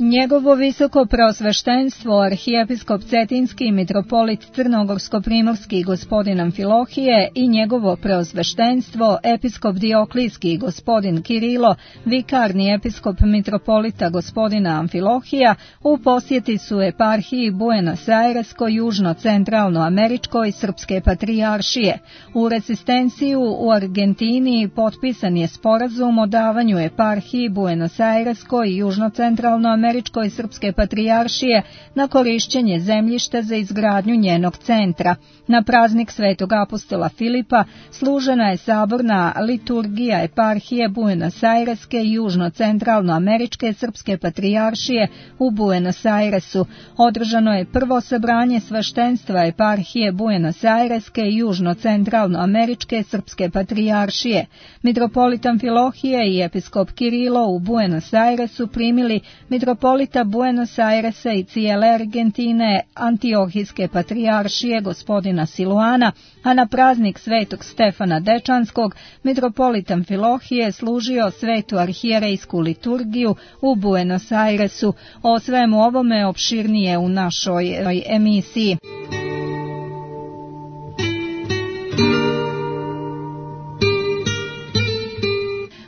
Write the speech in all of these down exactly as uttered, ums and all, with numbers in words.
Njegovo visoko preosveštenstvo arhijepiskop Cetinski mitropolit Crnogorsko-primorski gospodin Amfilohije i njegovo preosveštenstvo episkop Dioklijski gospodin Kirilo, vikarni episkop mitropolita gospodina Amfilohija, u posjeti su eparhiji Buenos Airesko, južno-centralno-američkoj srpske patrijaršije. U rezistenciju u Argentini potpisan je sporazum o davanju eparhiji Buenos Airesko i južno-centralno-američkoj Američkoj srpske patrijaršije na korišćenje zemljišta za izgradnju njenog centra. Na praznik Svetog apostola Filipa služena je saborna liturgija eparhije Buenos Aireske i južno-centralno-američke srpske patrijaršije u Buenos Airesu. Održano je prvo sabranje sveštenstva eparhije Buenos Aireske i južno-centralno-američke srpske patrijaršije. Mitropolit Amfilohije i episkop Kirilo u Buenos Airesu primili mitropolita Buenos Airesa i cijele Argentine Antiohijske patrijaršije gospodina Siluana, a na praznik Svetog Stefana Dečanskog mitropolit Amfilohije služio svetu arhijerejsku liturgiju u Buenos Airesu. O svemu ovome opširnije u našoj emisiji.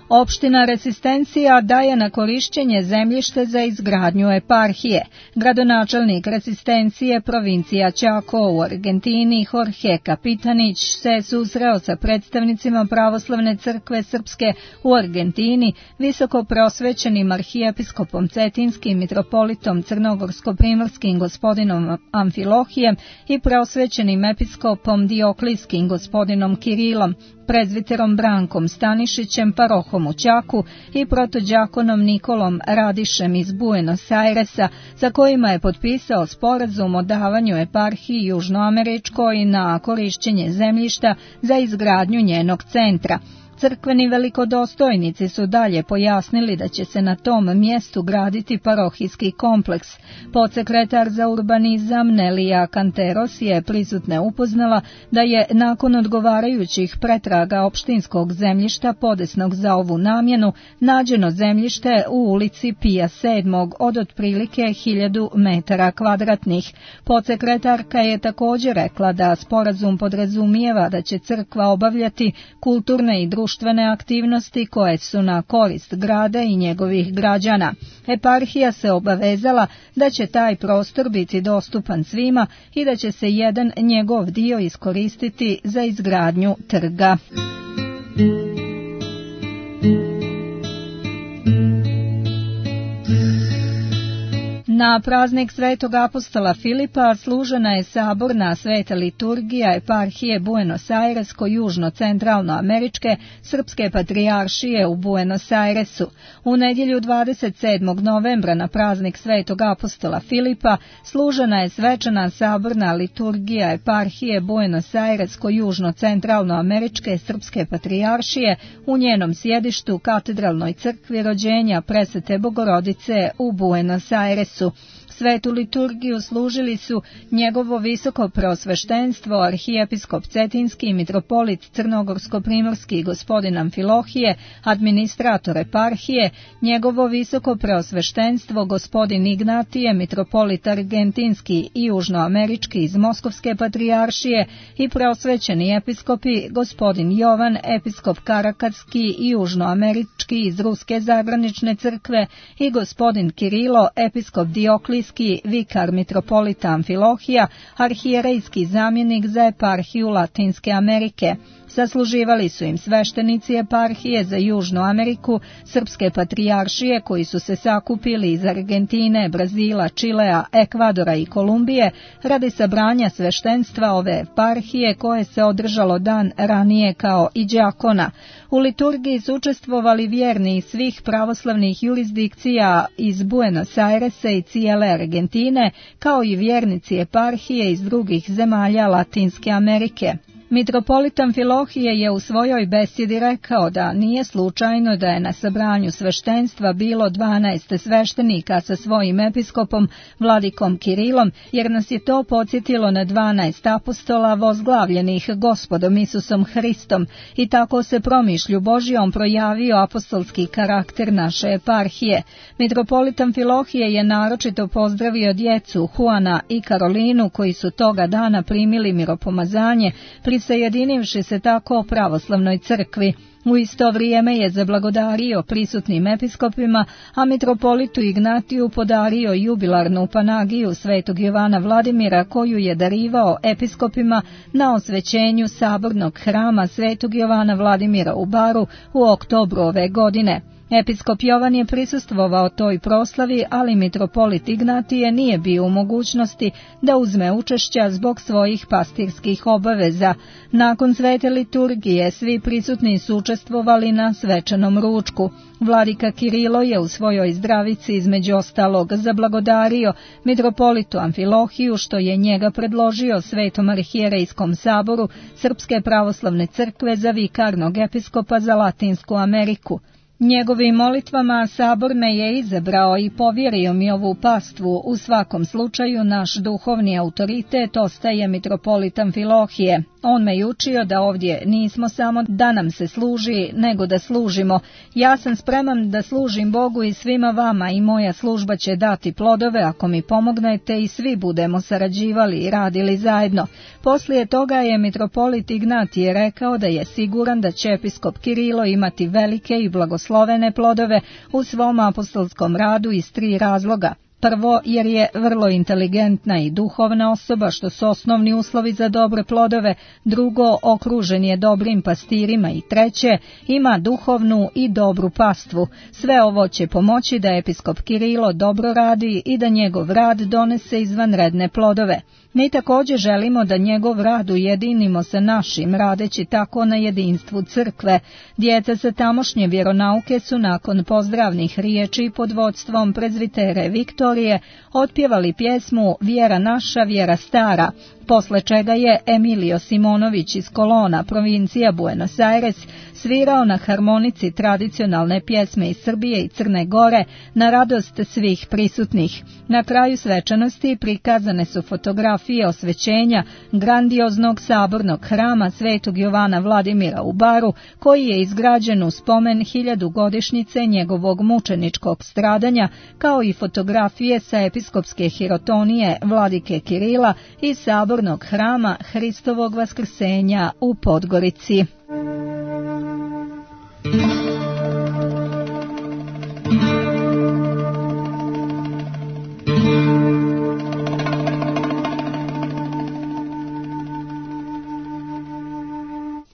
Opština Resistencija daje na korišćenje zemljište za izgradnju eparhije. Gradonačelnik Resistencije provincija Chaco u Argentini Jorge Kapitanić se susreo sa predstavnicima Pravoslavne crkve Srpske u Argentini, visoko preosvećenim arhijepiskopom Cetinskim mitropolitom Crnogorsko-primorskim gospodinom Amfilohijem i preosvećenim episkopom Dioklijskim gospodinom Kirilom, prezviterom Brankom Stanišićem, parohom u Čaku i protođakonom Nikolom Radišem iz Buenos Airesa, sa kojima je potpisao sporazum o davanju eparhiji južnoameričkoj na korišćenje zemljišta za izgradnju njenog centra. Crkveni velikodostojnici su dalje pojasnili da će se na tom mjestu graditi parohijski kompleks. Podsekretar za urbanizam Nelija Kanteros je prisutne upoznala da je nakon odgovarajućih pretraga opštinskog zemljišta podesnog za ovu namjenu nađeno zemljište u ulici Pija sedmog od otprilike hiljadu metara kvadratnih. Podsekretarka je također rekla da sporazum podrazumijeva da će crkva obavljati kulturne i društvene društvene aktivnosti koje su na korist grada i njegovih građana. Eparhija se obavezala da će taj prostor biti dostupan svima i da će se jedan njegov dio iskoristiti za izgradnju trga. Na praznik Svetog apostola Filipa služena je saborna sveta liturgija eparhije Buenos Airesko južno-centralno-američke srpske patrijaršije u Buenos Airesu. U nedjelju dvadeset sedmog novembra na praznik Svetog apostola Filipa služena je svečana saborna liturgija eparhije Buenos Airesko južno-centralno-američke srpske patrijaršije u njenom sjedištu katedralnoj crkvi rođenja Presvete Bogorodice u Buenos Airesu. Svetu liturgiju služili su njegovo visoko preosveštenstvo arhijepiskop Cetinski mitropolit Crnogorsko-primorski gospodin Amfilohije, administrator eparhije, njegovo visoko preosveštenstvo gospodin Ignatije mitropolit argentinski i južnoamerički iz Moskovske patrijaršije i preosvećeni episkopi gospodin Jovan episkop Karakatski i južnoamerički iz Ruske zagranične crkve i gospodin Kirilo episkop Dioklijski vikar mitropolita Amfilohija, arhijerejski zamjenik za eparhiju Latinske Amerike. Sasluživali su im sveštenici eparhije za Južnu Ameriku, srpske patrijaršije koji su se sakupili iz Argentine, Brazila, Čilea, Ekvadora i Kolumbije radi sabranja sveštenstva ove eparhije koje se održalo dan ranije kao i đakona. U liturgiji su učestvovali vjerni iz svih pravoslavnih jurisdikcija iz Buenos Airesa i cijele Argentine, kao i vjernici eparhije iz drugih zemalja Latinske Amerike. Mitropolit Amfilohije je u svojoj besjedi rekao da nije slučajno da je na sabranju sveštenstva bilo dvanaest sveštenika sa svojim episkopom, vladikom Kirilom, jer nas je to podsjetilo na dvanaest apostola vozglavljenih Gospodom Isusom Hristom i tako se promišlju Božjom projavio apostolski karakter naše eparhije. Mitropolit Amfilohije je naročito pozdravio djecu Juana i Karolinu koji su toga dana primili miropomazanje, prisajedinivši se tako pravoslavnoj crkvi. U isto vrijeme je zablagodario prisutnim episkopima, a mitropolitu Ignatiju podario jubilarnu panagiju svetog Jovana Vladimira koju je darivao episkopima na osvećenju sabornog hrama svetog Jovana Vladimira u Baru u oktobru ove godine. Episkop Jovan je prisustvovao toj proslavi, ali mitropolit Ignatije nije bio u mogućnosti da uzme učešća zbog svojih pastirskih obaveza. Nakon svete liturgije svi prisutni su učestvovali na svečanom ručku. Vladika Kirilo je u svojoj zdravici između ostalog zablagodario mitropolitu Amfilohiju što je njega predložio Svetom arhijerejskom saboru Srpske pravoslavne crkve za vikarnog episkopa za Latinsku Ameriku. Njegovim molitvama sabor me je izabrao i povjerio mi ovu pastvu. U svakom slučaju naš duhovni autoritet ostaje mitropolit Amfilohije. On me je učio da ovdje nismo samo da nam se služi, nego da služimo. Ja sam spreman da služim Bogu i svima vama i moja služba će dati plodove ako mi pomognete i svi budemo sarađivali i radili zajedno. Poslije toga je mitropolit Ignatije rekao da je siguran da će episkop Kirilo imati velike i blagoslovene plodove u svom apostolskom radu iz tri razloga. Prvo, jer je vrlo inteligentna i duhovna osoba, što su osnovni uslovi za dobre plodove. Drugo, okružen je dobrim pastirima. I treće, ima duhovnu i dobru pastvu. Sve ovo će pomoći da episkop Kirilo dobro radi i da njegov rad donese izvanredne plodove. Mi također želimo da njegov rad ujedinimo sa našim, radeći tako na jedinstvu crkve. Djeca sa tamošnje vjeronauke su nakon pozdravnih riječi pod vodstvom prezvitere Viktorije otpjevali pjesmu Vjera naša, vjera stara, posle čega je Emilio Simonović iz Kolona, provincija Buenos Aires, svirao na harmonici tradicionalne pjesme iz Srbije i Crne Gore na radost svih prisutnih. Na kraju svečanosti prikazane su fotografije osvećenja grandioznog sabornog hrama svetog Jovana Vladimira u Baru, koji je izgrađen u spomen hiljadugodišnjice njegovog mučeničkog stradanja, kao i fotografije sa episkopske hirotonije vladike Kirila i sabornog hrama Hristovog vaskrsenja u Podgorici.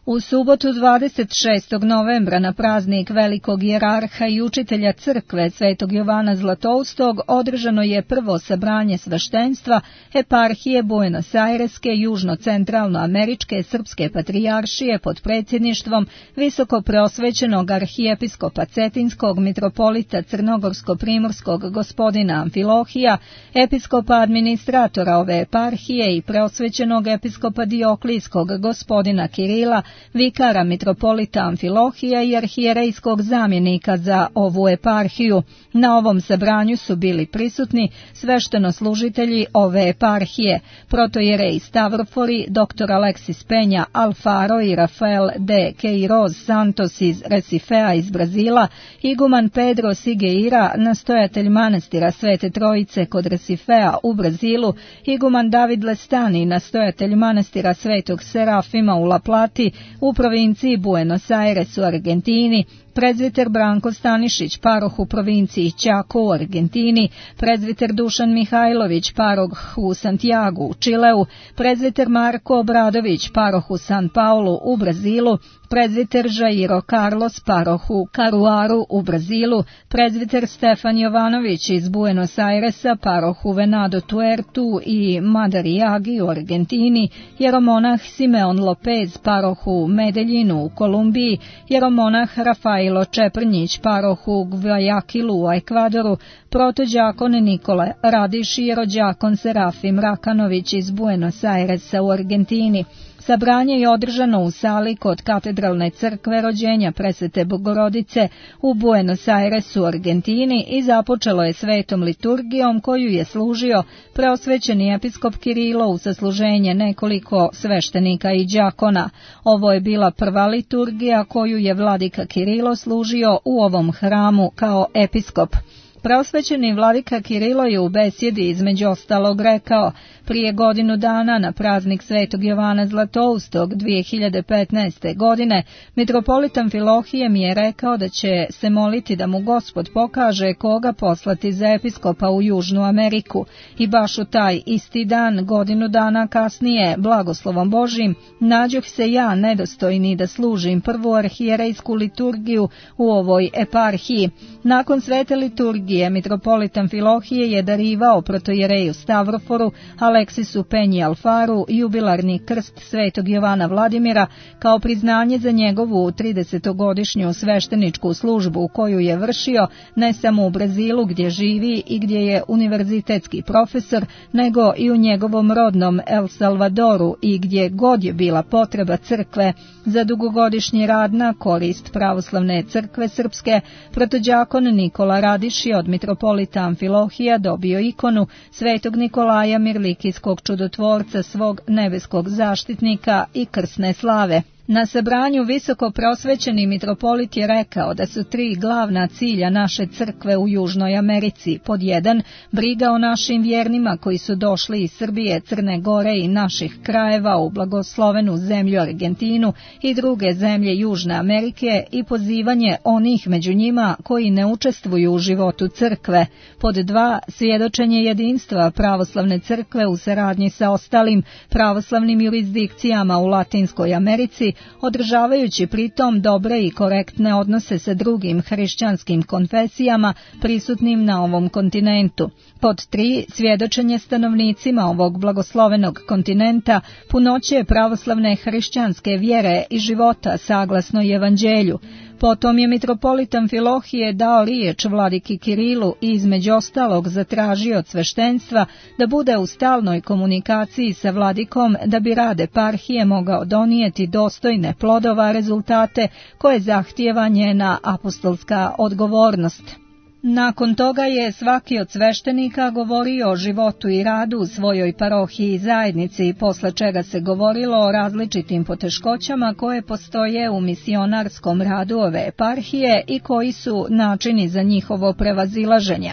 U subotu dvadeset šestog novembra na praznik velikog jerarha i učitelja crkve svetog Jovana Zlatoustog održano je prvo sabranje sveštenstva eparhije Buenos Aireske južno-centralnoameričke srpske patrijaršije pod predsjedništvom visoko preosvećenog arhijepiskopa Cetinskog mitropolita Crnogorsko-primorskog gospodina Amfilohija, episkopa administratora ove eparhije i preosvećenog episkopa Dioklijskog gospodina Kirila, vikara mitropolita Amfilohija i arhijerejskog zamjenika za ovu eparhiju. Na ovom sabranju su bili prisutni sveštenoslужitelji ove eparhije, protojerej Stavrofori, dr. Aleksis Penja Alfaro i Rafael de Queiroz Santos iz Recifea iz Brazila, iguman Pedro Sigueira, nastojatelj manastira Svete Trojice kod Recifea u Brazilu, iguman David Lestani, nastojatelj manastira Svetog Serafima u La Plati u provinciji Buenos Aires u Argentini, prezviter Branko Stanišić, paroh u provinciji Chaco u Argentini, prezviter Dušan Mihajlović, paroh u Santiagu u Čileu, prezviter Marko Obradović, paroh u San Paulu u Brazilu, prezviter Jairo Carlos, paroh u Caruaru u Brazilu, prezviter Stefan Jovanović iz Buenos Airesa, paroh u Venado Tuertu i Madariagi u Argentini, jeromonah Simeon Lopez, paroh u Medeljinu u Kolumbiji, jeromonah Rafailo Čeprnjić, paroh u Guayaquilu u Ekvadoru, protođakon Nikola Radiš i jerođakon Serafim Rakanović iz Buenos Airesa u Argentini. Sabranje je održano u sali kod katedralne crkve Rođenja Presvete Bogorodice u Buenos Airesu, Argentini, i započelo je svetom liturgijom koju je služio preosvećeni episkop Kirilo u sasluženje nekoliko sveštenika i đakona. Ovo je bila prva liturgija koju je vladika Kirilo služio u ovom hramu kao episkop. Preosvećeni vladika Kirilo je u besjedi između ostalog rekao: prije godinu dana na praznik Svetog Jovana Zlatoustog dvije hiljade petnaeste. godine mitropolit Amfilohije mi je rekao da će se moliti da mu Gospod pokaže koga poslati za episkopa u Južnu Ameriku, i baš u taj isti dan, godinu dana kasnije, blagoslovom Božim, nađoh se ja nedostojni da služim prvu arhijerejsku liturgiju u ovoj eparhiji. Nakon svete liturgije mitropolit Amfilohije je darivao protojereju Stavroforu Aleksisu Penji Alfaru jubilarni krst Svetog Jovana Vladimira kao priznanje za njegovu tridesetogodišnju svešteničku službu koju je vršio ne samo u Brazilu gdje živi i gdje je univerzitetski profesor, nego i u njegovom rodnom El Salvadoru i gdje god je bila potreba crkve za dugogodišnji rad na korist pravoslavne crkve srpske. Protođakon Nikola Radiši od mitropolita Amfilohija dobio ikonu Svetog Nikolaja Mirlikijskog čudotvorca, svog nebeskog zaštitnika i krsne slave. Na sabranju visoko prosvećeni mitropolit je rekao da su tri glavna cilja naše crkve u Južnoj Americi. Pod jedan, briga o našim vjernima koji su došli iz Srbije, Crne Gore i naših krajeva u blagoslovenu zemlju Argentinu i druge zemlje Južne Amerike i pozivanje onih među njima koji ne učestvuju u životu crkve. Pod dva, svjedočenje jedinstva pravoslavne crkve u saradnji sa ostalim pravoslavnim jurisdikcijama u Latinskoj Americi, održavajući pritom dobre i korektne odnose sa drugim hrišćanskim konfesijama prisutnim na ovom kontinentu. Pod tri, svjedočenje stanovnicima ovog blagoslovenog kontinenta punoće pravoslavne hrišćanske vjere i života saglasno evanđelju. Potom je mitropolit Amfilohije dao riječ vladiki Kirilu i između ostalog zatražio od sveštenstva da bude u stalnoj komunikaciji sa vladikom da bi rad eparhije mogao donijeti dostojne plodova rezultate koje zahtijeva njena apostolska odgovornost. Nakon toga je svaki od sveštenika govorio o životu i radu u svojoj parohiji i zajednici, posle čega se govorilo o različitim poteškoćama koje postoje u misionarskom radu ove eparhije i koji su načini za njihovo prevazilaženje.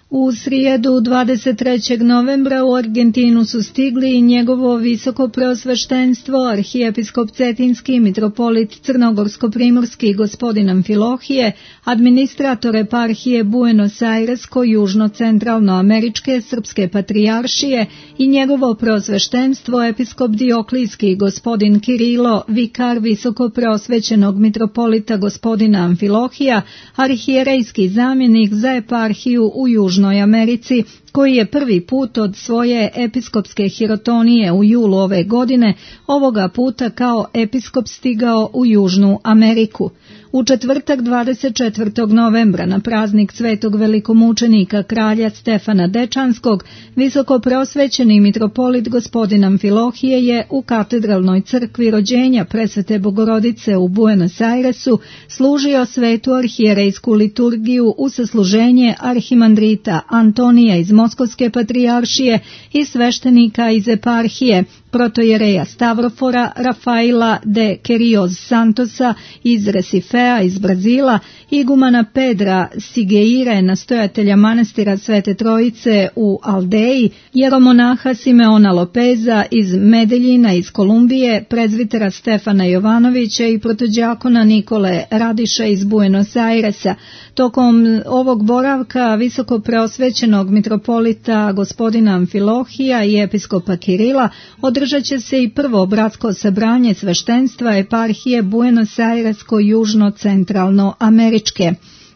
U srijedu dvadeset trećeg novembra u Argentinu su stigli i njegovo visoko preosveštenstvo, arhijepiskop Cetinski, mitropolit Crnogorsko-primorski gospodin Amfilohije, administrator eparhije Buenos Airesko južno-centralno-američke srpske patrijaršije i njegovo preosveštenstvo episkop Dioklijski gospodin Kirilo, vikar visoko preosvećenog mitropolita gospodina Amfilohija, arhijerejski zamjenik za eparhiju u Južnoj Americi, koji je prvi put od svoje episkopske hirotonije u julu ove godine ovoga puta kao episkop stigao u Južnu Ameriku. U četvrtak dvadeset četvrtog novembra na praznik svetog velikomučenika kralja Stefana Dečanskog, visoko preosvećeni mitropolit gospodin Amfilohije je u katedralnoj crkvi Rođenja Presvete Bogorodice u Buenos Airesu služio svetu arhijerejsku liturgiju u sasluženje arhimandrita Antonija iz Moskovske patrijaršije i sveštenika iz eparhije, protojereja Stavrofora Rafaela de Queiroz Santosa iz Recifea iz Brazila, igumana Pedra Sigeire, nastojatelja manastira Svete Trojice u Aldeji, jeromonaha Simeona Lopeza iz Medeljina iz Kolumbije, prezvitera Stefana Jovanovića i protođakona Nikole Radiša iz Buenos Airesa. Tokom ovog boravka visoko preosvećenog mitropolita gospodina Amfilohija i episkopa Kirila održat će se i prvo bratsko sabranje sveštenstva eparhije Buenos Airesko južno-centralno američke.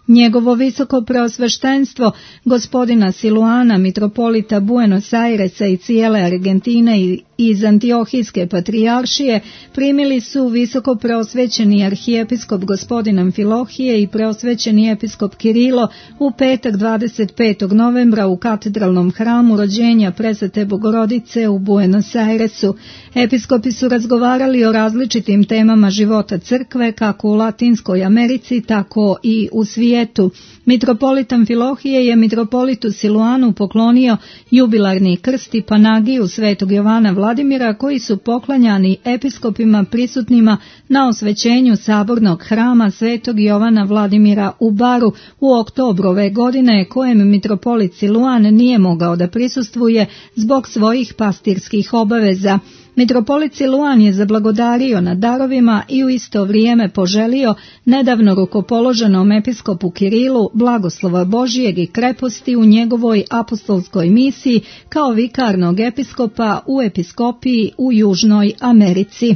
Njegovo visoko preosveštenstvo, gospodina Siluana, mitropolita Buenos Airesa i cijele Argentine i iz Antiohijske patrijaršije, primili su visoko preosvećeni arhijepiskop gospodin Amfilohije i preosvećeni episkop Kirilo u petak dvadeset petog novembra u katedralnom hramu rođenja Presvete Bogorodice u Buenos Airesu. Episkopi su razgovarali o različitim temama života crkve, kako u Latinskoj Americi, tako i u svijetu. Mitropolit Amfilohije je mitropolitu Siluanu poklonio jubilarni krst i panagiju svetog Jovana Vladimira, koji su poklanjani episkopima prisutnima na osvećenju sabornog hrama svetog Jovana Vladimira u Baru u oktobru ove godine, kojem mitropolit Siluan nije mogao da prisustvuje zbog svojih pastirskih obaveza. Mitropolit Siluan je zablagodario na darovima i u isto vrijeme poželio nedavno rukopoloženom episkopu Kirilu blagoslova Božijeg i kreposti u njegovoj apostolskoj misiji kao vikarnog episkopa u episkopiji u Južnoj Americi.